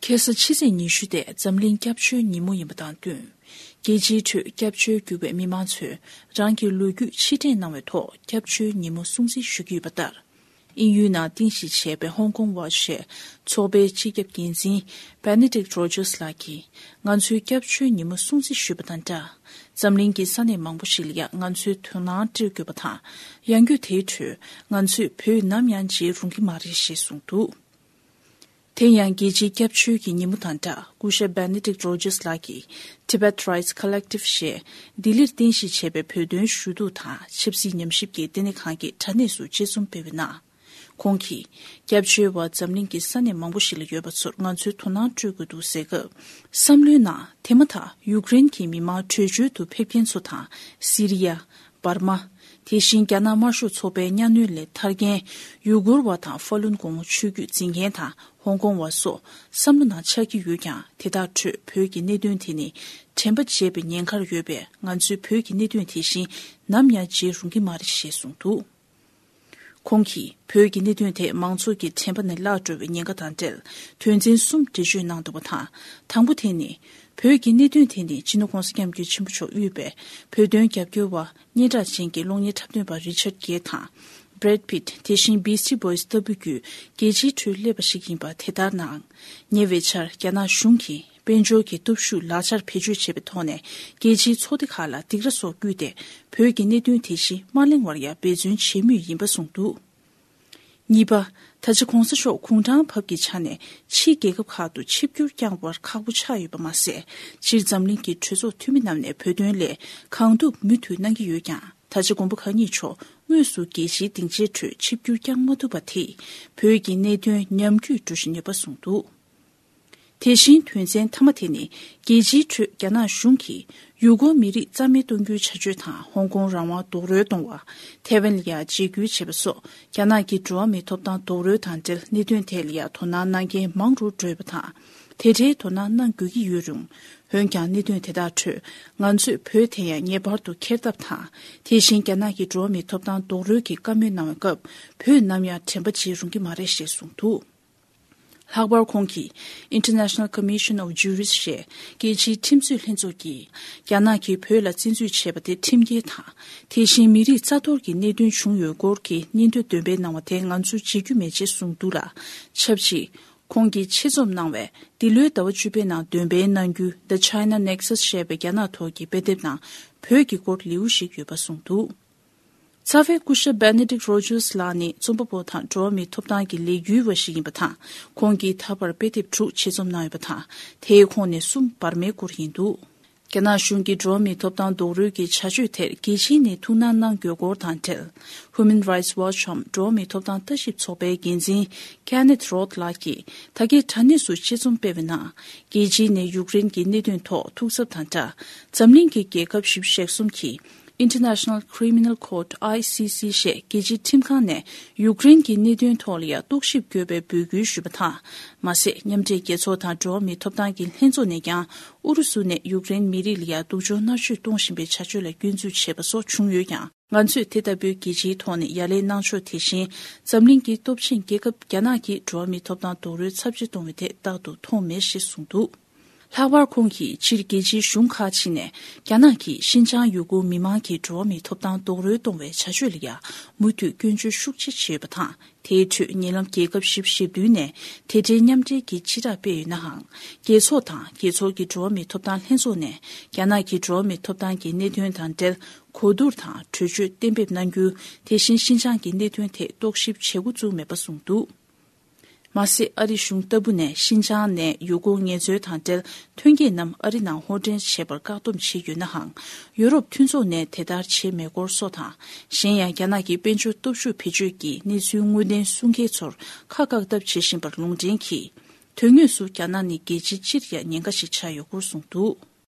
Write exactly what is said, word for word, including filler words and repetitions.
ཁ་སང་ཕྱི་ཚེས་ཉི་ཤུ་དེ་འཛམ་གླིང་སྐྱབས་བཅོལ་ཉིན་མོ་ཡིན་པ་དང་བསྟུན། རྒྱལ་སྤྱིའི་ཁྲོད་སྐྱབས་བཅོལ་གྱུར་པའི་མི་མང་ཚོས་རང་གི་ལོ་རྒྱུས་ཕྱིར་དྲན་གནང་བའི་ཐོག་སྐྱབས་བཅོལ་ཉིན་མོ་སྲུང་བརྩི་ཞུ་གི་ཡོད་པ་ལྟར། དབྱིན་ཡུལ་ནང་རྟེན་གཞི་བྱས་པའི་Hong Kong Watch ཞེས་ཚོགས་པའི་སྤྱི་ཁྱབ་འགན་འཛིན་Benedict Rogers ལགས་ཀྱིས་ང་ཚོའི་སྐྱབས་བཅོལ་ཉིན་མོ་སྲུང་བརྩི་ཞུས་པ་དང་སྦྲགས། འཛམ་གླིང་གི་ས་གནས་མང་པོ་ཞིག་ལ་ཡང་ང་ཚོའི་དོ་སྣང་སྤྲོད་དགོས་པ་དང་། ཡང་སྒོས་དེའི་ཁྲོད་ང་ཚོས་བོད་ནམ་ཡང་བརྗེད་རུང་གི་མ་རེད་ཞེས་གསུངས་འདུག་དེ་ཡང་རྒྱལ་སྤྱིའི་སྐྱབས་བཅོལ་གྱི་ཉིན་མོ་དང་སྦྲགས། སྐུ་ཞབས་Benedict Rogers ལགས་ཀྱིས་Tibet Rights Collective ཞེས་ལྡི་ལིར་རྟེན་གཞི་བྱས་པའི་བོད་དོན་ཞུ་གཏུག་དང་ཆབ་སྲིད་ཉམས་ཞིབ་ཀྱི་ལྟེ་གནས་ཁང་གི་དྲ་གནས་སུ་དཔྱད་རྩོམ་སྤེལ་བའི་ནང་། ཁོང་གིས། སྐྱབས་བཅོལ་བ་འཛམ་གླིང་གི་ས་གནས་མང་པོ་ཞིག་ལ་ཡོད་པ་ཚོར་ང་ཚོའི་དོ་སྣང་སྤྲོད་དགོས་འདུག་ཟེར་སྐབས། བསམ་བློའི་ནང་དེ་མ་ཐག་ཡུཀ་རེན་གྱི་མི་མང་བྲོས་བྱོལ་དུ་ཕེབས་མཁན་ཚོ་དང་། སི་རི་ཡ། འབར་མ། དེ་བཞིན་རྒྱ་ནག་དམར་ཤོག་ཚོགས་པའི་གཉའ་གནོན་ལས་ཐར་མཁན་ཡུ་གུར་བ་དང་ཧྥ་ལུན་གོང་བུ་ཆོས་བརྒྱུད་འཛིན་མཁན་དང་ཧོང་ཀོང་བ་སོགས་བསམ་བློ་ནང་འཆར་གྱི་ཡོད་ཀྱང་། དེ་དག་ཁྲོད་བོད་ཀྱི་གནད་དོན་དེ་ནི་དྲན་པ་བརྗེད་པའི་ཉེན་ཁར་ཡོད་པས། ང་ཚོས་བོད་ཀྱི་གནད་དོན་དེ་བཞིན་ནམ་ཡང་བརྗེད་རུང་གི་མ་རེད་ཞེས་གསུངས་འདུག་ཁོང་གིས་བོད་ཀྱི་གནད་དོན་དེ་མང་ཚོགས་ཀྱི་དྲན་པ་ནས་བརླག་འགྲོ་བའི་ཉེན་ཁ་དང་འབྲེལ་དོན་ཚན་གསུམ་འགྲེལ་བརྗོད་གནང་འདུག་པ་དང་། དང་པོ་དེ་ནི། བོད་ཀྱི་གནད་དོན་དེ་ནི་སྤྱི་ནོར་༸གོང་ས་༸སྐྱབས་མགོན་ཆེན་པོ་མཆོག་དབུས་པའི་བོད་དོན་རྒྱབ་སྐྱོར་བ་སྙན་གྲགས་ཅན་གྱི་གློག་བརྙན་འཁྲབ་སྟོན་པ་Richard Gere དང་། Brad Pitt དེ་བཞིན་Beastie Boys ལྟ་བུ་བརྒྱུད་རྒྱལ་སྤྱིའི་ཁྲོད་སླེབས་པ་ཞིག་ཡིན་པ་དེ་ལྟར་སྣང་། ཉེ་བའི་ཆར་རྒྱ་ནག་གཞུང་གིས། དཔལ་འབྱོར་གྱི་སྟོབས་ཤུགས་ལག་ཆར་བེད་སྤྱོད་བྱས་པའི་ཐོག་ནས། རྒྱལ་སྤྱིའི་ཚོགས་སྡེ་ཁག་ལ་སྡིགས་ར་སོགས་བསྐུལ་ཏེ། བོད་ཀྱི་གནད་དོན་དེ་བཞིན་མ་གླེང་བར་ཡང་འབད་བརྩོན་བྱེད་མུས་ཡིན་པ་གསུངས་འདུག་གཉིས་པ། ད་ཆ་༸གོང་ས་མཆོག་གུང་ཁྲན་བབ་ཀྱི་ཆ་ནས་ཕྱིའི་རྒྱལ་ཁབ་ཁག་ཏུ་ཆིབས་བསྒྱུར་བསྐྱངས་པར་ཁག་པོ་ཆགས་ཡོད་པ་མ་ཟད། སྤྱིར་འཛམ་གླིང་གི་གྲོས་ཚོགས་འཐུས་མི་རྣམས་ནས་བོད་དོན་སླད་གང་ཐུབ་མུ་མཐུད་གནང་གི་ཡོད་ཀྱང་། ད་ཆ་མགོན་པོ་གང་ཉིད་མཆོག་དངོས་སུ་རྒྱལ་སྤྱིའི་སྡིངས་ཆའི་ཁྲོད་ཆིབས་བསྒྱུར་བསྐྱང་མ་ཐུབ་པ་དེས། བོད་ཀྱི་གནད་དོན་ཉམས་རྒུད་འགྲོ་བཞིན་ཡོད་པ་གསུངས་འདུག་དེ་བཞིན་དོན་ཚན་མཐའ་མ་དེ་ནི། རྒྱལ་སྤྱིའི་ཁྲོད་རྒྱ་ནག་གཞུང་གིས་ཡུ་གུར་མི་རིགས་རྩ་མེད་གཏོང་རྒྱུའི་བྱ་སྤྱོད་དང་། ཧོང་ཀོང་རང་དབང་རྡོག་རོལ་གཏོང་བ། ཐའེ་ཝན་ལ་ཡང་འཇིགས་སྐུལ་བྱས་པ་སོགས། རྒྱ་ནག་གི་འགྲོ་བ་མིའི་ཐོབ་ཐང་རྡོག་རོལ་དང་འབྲེལ་གནད་དོན་ཐད་ལ་ཡང་དོ་སྣང་གནང་མཁན་མང་རུ་འགྲོ་ཡོད་པ་དང་། དེ་འདྲའི་དོ་སྣང་གནང་དགོས་ཀྱི་ཡོད་རུང་། འོན་ཀྱང་གནད་དོན་དེ་དག་ཁྲོད་ང་ཚོས་བོད་དེ་ཡང་ངེས་པར་དུ་འཁྱེར་ཐབས་དང་། དེ་བཞིན་རྒྱ་ནག་གི་འགྲོ་བ་མིའི་ཐོབ་ཐང་རྡོག་རོལ་གྱི་བཀའ་མོལ་གནང་བའི་སྐབས། བོད་ནམ་ཡང་དྲན་པ་བརྗེད་རུང་གི་མ་རེད་ཞེས་གསུངས་འདུག་ལྷག་པར་ཁོང་གིས་International Commission of Jurists ཞེས་རྒྱལ་སྤྱིའི་ཁྲིམས་རྩོད་ལྷན་ཚོགས་ཀྱིས་རྒྱ་ནག་གིས་བོད་ལ་བཙན་འཛུལ་བྱས་པ་དེ་ཁྲིམས་འགལ་དང་། དེ་བཞིན་མི་རིགས་རྩ་གཏོར་གྱི་གནད་དོན་བྱུང་ཡོད་སྐོར་གྱི་སྙན་ཐོ་འདོན་སྤེལ་གནང་བ་དེ་ང་ཚོས་བརྗེད་རྒྱུ་མེད་ཅེས་གསུངས་འདུག་ལ། ཆབས་ཅིག་ཁོང་གིས་ཆེད་རྩོམ་གནང་བའི་འདི་ལོའི་ཟླ་བ་བཅུ་པའི་ནང་འདོན་སྤེལ་གནང་རྒྱུ་The China Nexus ཞེས་པའི་རྒྱ་ནག་ཐོག་གི་དཔེ་དེབ་ནང་བོད་ཀྱི་སྐོར་ལེའུ་ཞིག་ཡོད་པ་གསུངས་འདུག་རྩ་བའི་སྐུ་ཞབས་Benedict Rogers ལགས་ནི་རྩོམ་པ་པོ་དང་འགྲོ་བ་མིའི་ཐོབ་ཐང་གི་ལས་འགུལ་བ་ཞིག་ཡིན་པ་དང་། ཁོང་གིས་ད་བར་དཔེ་དེབ་དྲུག་ཆེད་རྩོམ་གནང་ཡོད་པ་དང་། དེའི་ཁོངས་ནས་གསུམ་འབར་མའི་སྐོར་ཡིན་འདུག་རྒྱ་ནག་གཞུང་གིས་འགྲོ་བ་མིའི་ཐོབ་ཐང་རྡོག་རོལ་གྱི་བྱ་སྤྱོད་དེར་རྒྱལ་སྤྱིའི་ནས་ཐུགས་སྣང་གནང་དགོས་སྐོར་དང་འབྲེལ། Human Rights Watch འམ་འགྲོ་བ་མིའི་ཐོབ་ཐང་ལྟ་ཞིབ་ཚོགས་པའི་འགན་འཛིན་Kenneth Roth ལགས་ཀྱིས་ད་གའི་དྲ་གནས་སུ་ཆེད་རྩོམ་སྤེལ་བའི་ནང་། རྒྱལ་སྤྱིའི་ནས་ཡུཀ་རེན་གྱི་གནད་དོན་ཐོག་ཐུགས་འཚབ་དང་སྦྲགས། འཛམ་གླིང་གི་རྒྱལ་ཁབ་བཞི་བཅུ་ཞེ་གསུམ་གྱིས། International Criminal Court I C C ཞེས་རྒྱལ་སྤྱིའི་ཁྲིམས་ཁང་ནས་ཡུཀ་རེན་གྱི་གནད་དོན་ཐོག་ལ་ཡང་རྟོག་ཞིབ་དགོས་པའི་འབོད་སྐུལ་ཞུས་པ་དང་། མ་ཟད། མཉམ་འབྲེལ་རྒྱལ་ཚོགས་དང་འགྲོ་བ་མིའི་ཐོབ་ཐང་གི་ལྷན་ཚོགས་ནས་ཀྱང་ཨུ་རུ་སུ་ནས་ཡུཀ་རེན་མི་རིགས་ལ་ཡང་སྡུག་སྦྱོང་མནར་གཅོད་གཏོང་བཞིན་པའི་བྱ་སྤྱོད་ལ་སྐྱོན་འཛུགས་བྱས་པ་སོགས་བྱུང་ཡོད་ཀྱང་། ང་ཚོས་དེ་ལྟ་བུའི་རྒྱལ་སྤྱིའི་ཐོག་ནས་ཡ་ལན་གནང་ཕྱོགས་དེ་བཞིན། འཛམ་གླིང་གི་སྟོབས་ཆེན་རྒྱལ་ཁབ་རྒྱ་ནག་གིས་འགྲོ་བ་མིའི་ཐོབ་ཐང་རྡོག་རོལ་ཚབས་ཆེ་གཏོང་བའི་ཐད་རྟག་ཏུ་མཐོང་མེད་ཞེས་གསུངས་འདུག་ལྷག་པར་ཁོང་གིས་སྤྱིར་རྒྱལ་སྤྱིའི་གཞུང་ཁག་ཅིག་ནས་རྒྱ་ནག་གིས་ཤིན་ཅང་ཡུ་གུར་མི་མང་གི་འགྲོ་བ་མིའི་ཐོབ་ཐང་རྡོག་རོལ་གཏོང་བའི་བྱ་སྤྱོད་ལ་ཡང་མུ་མཐུད་སྐྱོན་བརྗོད་ཤུགས་ཆེ་བྱས་ཡོད་པ་དང་། དེའི་ཁྲོད་ཉེ་ལམ་རྒྱལ་ཁབ་བཞི་བཅུ་ཞེ་བདུན་ནས་དེ་འབྲེལ་མཉམ་འབྲེལ་གྱི་སྤྱི་བསྒྲགས་སྤེལ་ཡོད་ནའང་། རྒྱལ་ཚོགས་དང་རྒྱལ་ཚོགས་ཀྱི་འགྲོ་བ་མིའི་ཐོབ་ཐང་ལྷན་ཚོགས་ནས་རྒྱ་ནག་གི་འགྲོ་བ་མིའི་ཐོབ་ཐང་གི་གནད་དོན་དང་འབྲེལ་གོ་བསྡུར་དང་གྲོས་ཆོད་གཏན་འབེབས་གནང་རྒྱུ། དེ་བཞིན་ཤིན་ཅང་གི་གནད་དོན་ཐད་རྟོག་ཞིབ་བྱེད་འགོ་བཙུགས་མེད་པ་གསུངས་འདུག་མ་ཟད། ཨ་རི་གཞུང་ལྟ་བུ་ནས་ཤིན་ཅང་ནས་ཡུ་གུར་ངལ་རྩོལ་དང་འབྲེལ་ཐོན་སྐྱེད་རྣམས་ཨ་རི་ནང་ཧོར་འདྲེན་བྱེད་པར་བཀག་སྡོམ་བྱས་ཡོད་ནའང་། ཡུ་རོབ་མཐུན་ཚོགས་ནས་དེ་ལྟར་བྱས་མེད་སྐོར་སོགས་དང་། གཞན་ཡང་། རྒྱ་ནག་གི་དཔལ་འབྱོར་སྟོབས་ཤུགས་བེད་སྤྱོད་ཀྱིས་གནས་ཚུལ་དངོས་བདེན་སྲུང་མཁན་ཚོར་ཁ་བཀག་ཐབས་བྱེད་བཞིན་པར་ལུང་འདྲེན་གྱིས། དོན་དངོས་སུ་རྒྱ་ནག་ནི་རྒྱལ་སྤྱི་སྤྱིར་ཡང་ཉེན་ཁ་ཞིག་ཆགས་ཡོད་སྐོར་གསུངས་འདུག